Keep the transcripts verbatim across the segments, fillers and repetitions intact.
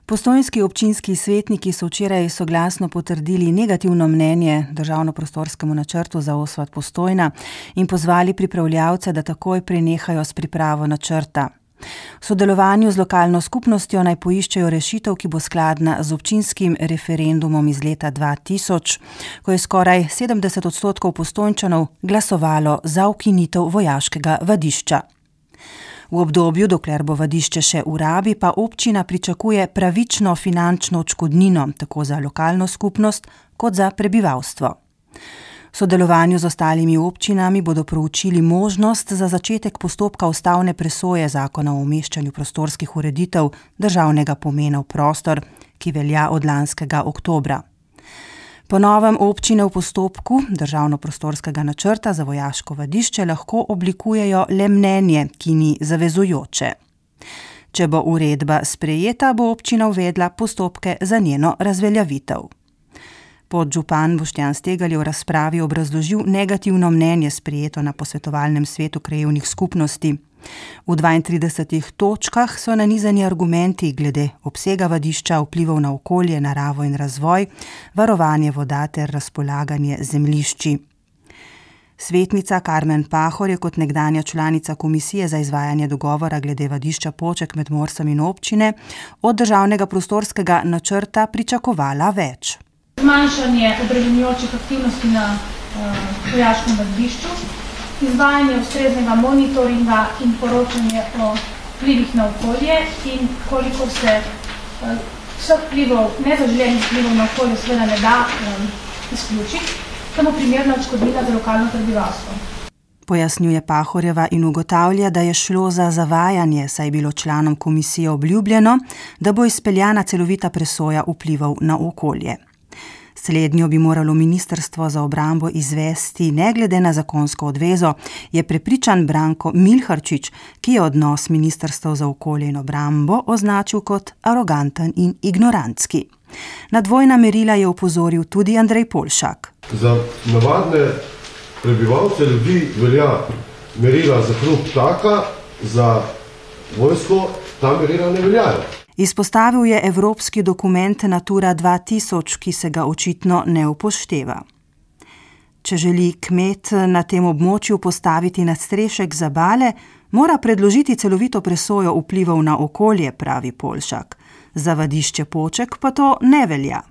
Postojnski občinski svetniki so včeraj soglasno potrdili negativno mnenje državno-prostorskemu načrtu za osvat Postojna in pozvali pripravljavce, da takoj prenehajo s pripravo načrta. V sodelovanju z lokalno skupnostjo naj poiščejo rešitev, ki bo skladna z občinskim referendumom iz leta dva tisoč, ko je skoraj sedemdeset odstotkov Postojnčanov glasovalo za ukinitev vojaškega vadišča. V obdobju, dokler bo vadišče še v rabi, pa občina pričakuje pravično finančno odškodnino, tako za lokalno skupnost kot za prebivalstvo. V sodelovanju z ostalimi občinami bodo proučili možnost za začetek postopka ustavne presoje zakona o umeščanju prostorskih ureditev državnega pomena v prostor, ki velja od lanskega oktobra. Po novem občine v postopku državno-prostorskega načrta za vojaško vadišče lahko oblikujejo le mnenje, ki ni zavezujoče. Če bo uredba sprejeta, bo občina uvedla postopke za njeno razveljavitev. Podžupan Boštjan Stegelj je v razpravi obrazložil negativno mnenje sprejeto na posvetovalnem svetu krajevnih skupnosti. V dvaintridesetih točkah so nanizani argumenti glede obsega vadišča, vplivov na okolje, naravo in razvoj, varovanje voda ter razpolaganje zemljišči. Svetnica Karmen Pahor je kot nekdanja članica komisije za izvajanje dogovora glede vadišča Poček med Morsom in občine od državnega prostorskega načrta pričakovala več. Zmanjšanje obremenjujočih aktivnosti na uh, vojaškem vadišču, izvajanje ustreznega monitoringa in poročanje o vplivih na okolje in koliko se uh, vseh vplivov, nezaželenih vplivov na okolje seveda ne da um, izključiti, samo primerna odškodnina za lokalno prebivalstvo. Pojasnjuje Pahorjeva in ugotavlja, da je šlo za zavajanje, saj je bilo članom komisije obljubljeno, da bo izpeljana celovita presoja vplivov na okolje. Slednjo bi moralo ministrstvo za obrambo izvesti ne glede na zakonsko odvezo, je prepričan Branko Milharčič, ki je odnos ministrstev za okolje in obrambo označil kot aroganten in ignorantski. Na dvojna merila je opozoril tudi Andrej Polšak. Za navadne prebivalce ljudi velja merila za hrup taka, za vojsko ta merila ne veljajo. Izpostavil je evropski dokument Natura dva tisoč, ki se ga očitno ne upošteva. Če želi kmet na tem območju postaviti nadstrešek za bale, mora predložiti celovito presojo vplivov na okolje, pravi Polšak. Za vadišče Poček pa to ne velja.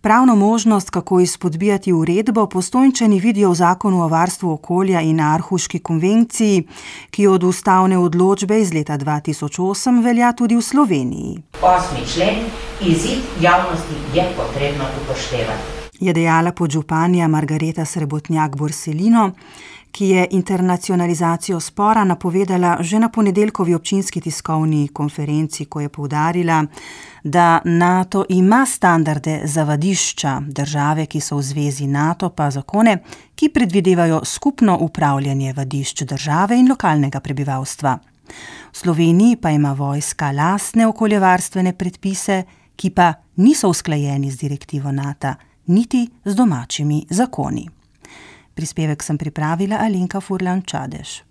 Pravno možnost, kako izpodbijati uredbo, Postojnčani vidijo v zakonu o varstvu okolja in Aarhuški konvenciji, ki od ustavne odločbe iz leta dva tisoč osem velja tudi v Sloveniji. Osmi člen, izid javnosti je potrebno upoštevati. Je dejala podžupanja Margareta Srebotnjak-Borselino, ki je internacionalizacijo spora napovedala že na ponedeljkovi občinski tiskovni konferenci, ko je poudarila, da NATO ima standarde za vadišča, države, ki so v zvezi NATO, pa zakone, ki predvidevajo skupno upravljanje vadišč države in lokalnega prebivalstva. V Sloveniji pa ima vojska lastne okoljevarstvene predpise, ki pa niso usklajeni z direktivo NATO, niti z domačimi zakoni. Prispevek sem pripravila Alenka Furlan Čadež.